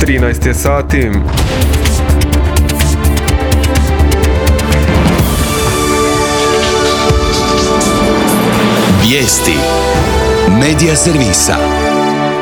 13 je sati. Vijesti Medija servisa.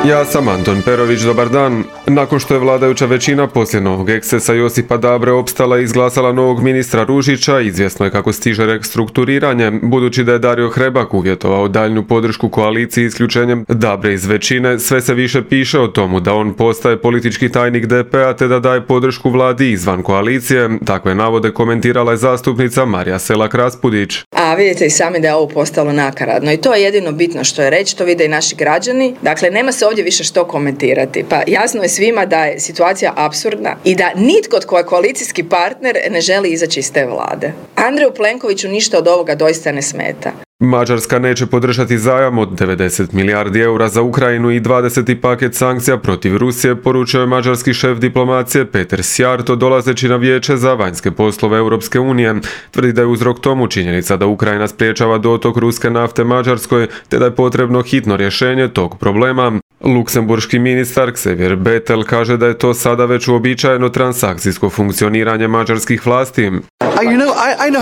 Ja sam Anton Perović, dobar dan. Nakon što je vladajuća većina poslije novog ekscesa Josipa Dabre opstala i izglasala novog ministra Ružića, izvjesno je kako stiže restrukturiranje, budući da je Dario Hrebak uvjetovao daljnju podršku koaliciji isključenjem Dabre iz većine. Sve se više piše o tomu da on postaje politički tajnik DP-a te da daje podršku vladi izvan koalicije. Takve navode komentirala je zastupnica Marija Selak-Raspudić. A vidite i sami da je ovo postalo nakaradno i to je jedino bitno što je reći, to vide i naši građani. Dakle, nema se ovdje više što komentirati. Pa jasno je svima da je situacija apsurdna i da nitko tko je koalicijski partner ne želi izaći iz te vlade. Andreju Plenkoviću ništa od ovoga doista ne smeta. Mađarska neće podržati zajam od 90 milijardi eura za Ukrajinu i 20. paket sankcija protiv Rusije, poručio je mađarski šef diplomacije Peter Szijjártó dolazeći na vijeće za vanjske poslove Europske unije. Tvrdi da je uzrok tomu činjenica da Ukrajina spriječava dotok ruske nafte Mađarskoj te da je potrebno hitno rješenje tog problema. Luksemburški ministar Xavier Bettel kaže da je to sada već uobičajeno transakcijsko funkcioniranje mađarskih vlasti.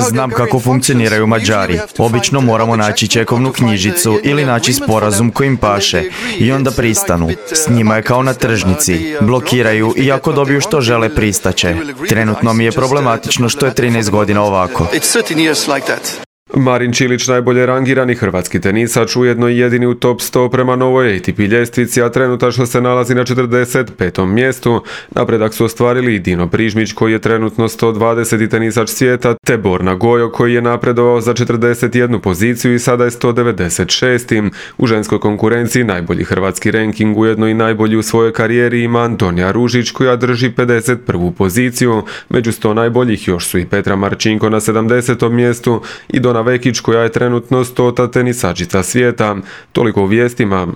Znam kako funkcioniraju Mađari. Obično moramo naći čekovnu knjižicu ili naći sporazum kojim paše i onda pristanu. S njima je kao na tržnici. Blokiraju i ako dobiju što žele pristaće. Trenutno mi je problematično što je 13 godina ovako. Marin Čilić, najbolje rangirani hrvatski tenisač, ujedno i jedini u top 100 prema novoj ATP ljestvici, a trenutačno se nalazi na 45. mjestu. Napredak su ostvarili i Dino Prižmić, koji je trenutno 120. tenisač svijeta, te Borna Gojo, koji je napredovao za 41. poziciju i sada je 196. U ženskoj konkurenciji najbolji hrvatski ranking, ujedno i najbolji u svojoj karijeri, ima Antonija Ružić, koja drži 51. poziciju. Među 100 najboljih još su i Petra Marčinko na 70. mjestu i Dona Vekić, koja je trenutno 100. tenisačica svijeta. Toliko u vijestima.